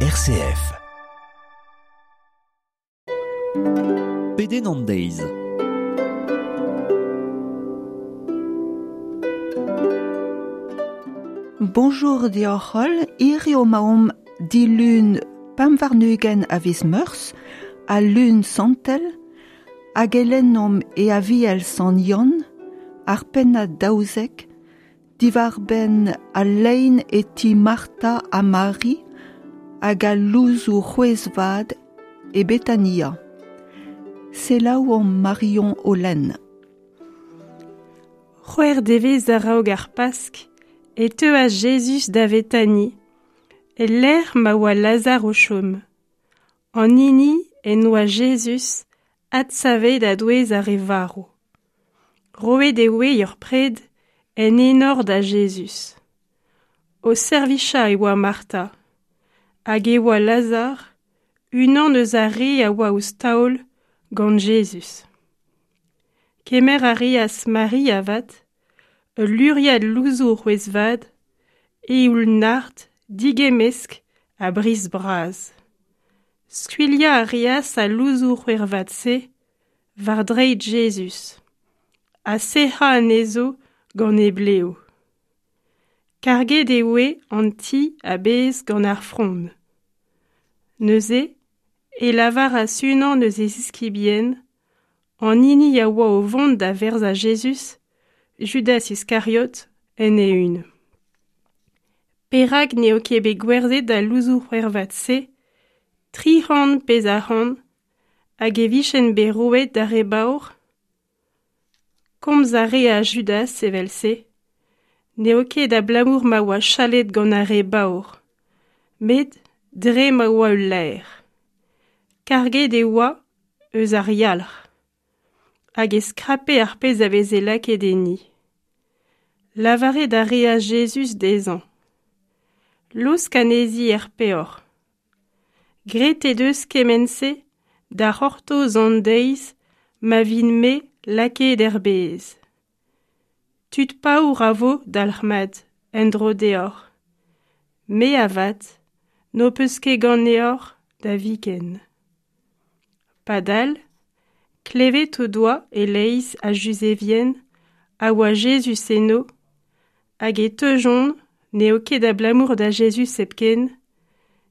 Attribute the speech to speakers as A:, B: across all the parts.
A: RCF.
B: Pedenn an deiz.
C: Bonjour deoc'h holl, hiziv emaomp dilun 25 a viz Meurzh, al lun santel, hag e lennomp e Aviel Sant Yann, ar pennad 12, diwar-benn al lein e ti Martha ha Mari hag al louzoù c'hwezh-vat e Betania. Selaouomp Marion o lenn.
D: C'hwec'h devezh a-raok ar Pask e teuas Jezuz da Vetani, e-lec'h ma oa Lazar o chom. An hini en doa Jezuz adsavet a-douez ar re varv. Roet e oe ur pred en enor da Jezuz. O servichañ e oa Martha, hag e oa Lazar, unan eus ar re a oa ouzh taol gant Jezuz. Kemer a reas Mari avat, ul luriad louzoù c'hwezh-vat, eoul nard, digemmesk ha briz bras. Skuilhañ a reas al louzoù c'hwervat-se war dreid Jezuz, ha sec'hañ anezho gant he blev. Karget e oe an ti a-bezh gant ar frond. Neuze e lavaras unan eus e ziskibien, an hini a oa o vont da verzañ Jezuz, Judas Iskariot, en e-un. Perak n'eo ket bet gwerzhet al louzoù c'hwervat-se, 300 pezh arc'hant, hag e vijent bet roet d'ar re baour? Komz a reas Judas evel-se, n'eo ket abalamour ma oa chalet gant ar re baour, met dre ma oa ul laer. Karget e oa eus ar yalc'h, hag e skrape ar pezh a veze lakaet enni. Lavaret a reas Jezuz dezhañ. Laosk anezhi er peoc'h. Graet he deus kement-se da c'hortoz an deiz ma vin-me lakaet er bez. Tud paour a vo dalc'hmat en-dro deoc'h. Me avat, n'ho peus ket ganeoc'h da viken. Padal, klevet o doa e-leizh a Juzevien a oa Jezuz eno, hag e teujont n'eo ket abalamour da Jezuz hepken,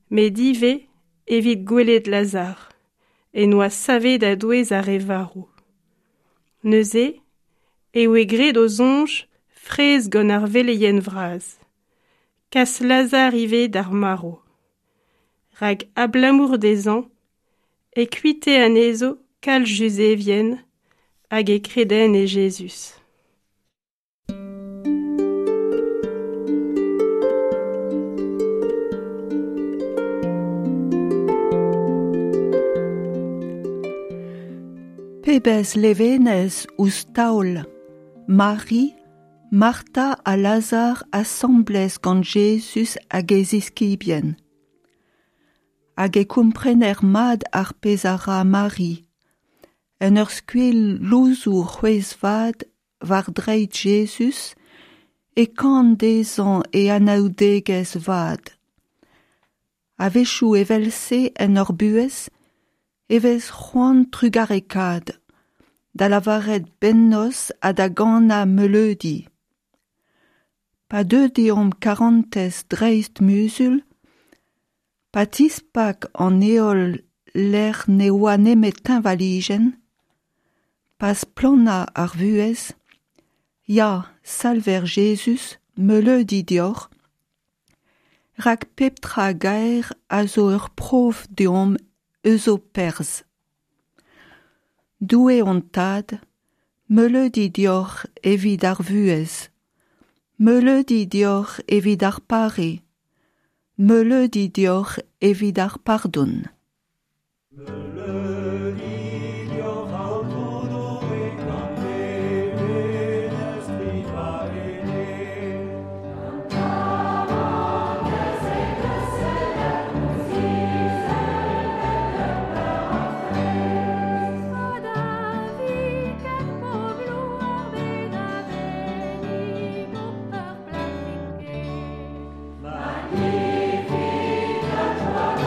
D: met ivez evit gwelet Lazar, en oa savet a-douez ar re varv. Neuze e oe graet o soñj fraezh gant ar veleien vras. Kas Lazar ivez d'ar marv. Rak abalamour dezhañ e kuite anezho kalz Juzevien hag e kredent e Jezuz.
C: Pebezh levenez ouzh taol Mari, Martha ha Lazar asambles gant Jezuz hag e ziskibien. Hag e komprener mat ar pezh a ra Mari, en ur skuilh louzoù c'hwezh-vat war dreid Jezuz e kan dezhañ e anaoudegezh vat. A-wechoù evel-se en hor buhez e vez c'hoant trugarekaat, da lavaret bennozh ha da ganañ meuleudi. Pa deu deomp karantez dreist muzul, pa tispak an heol lec'h ne oa nemet teñvalijenn, pa splanna ar vuhez, ya, Salver Jezuz, meuleudi deoc'h, rak pep tra gaer a zo ur prof deomp eus ho perzh. Doue hon tad, meuleudi deoc'h evit ar vuhez, meuleudi deoc'h evit ar pare, meuleudi deoc'h evit ar pardon.
E: Meuleudi deoc'h Aotrou Doue gant levenez tri va ene. Magnificat.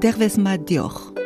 C: Dervez mat deoc'h.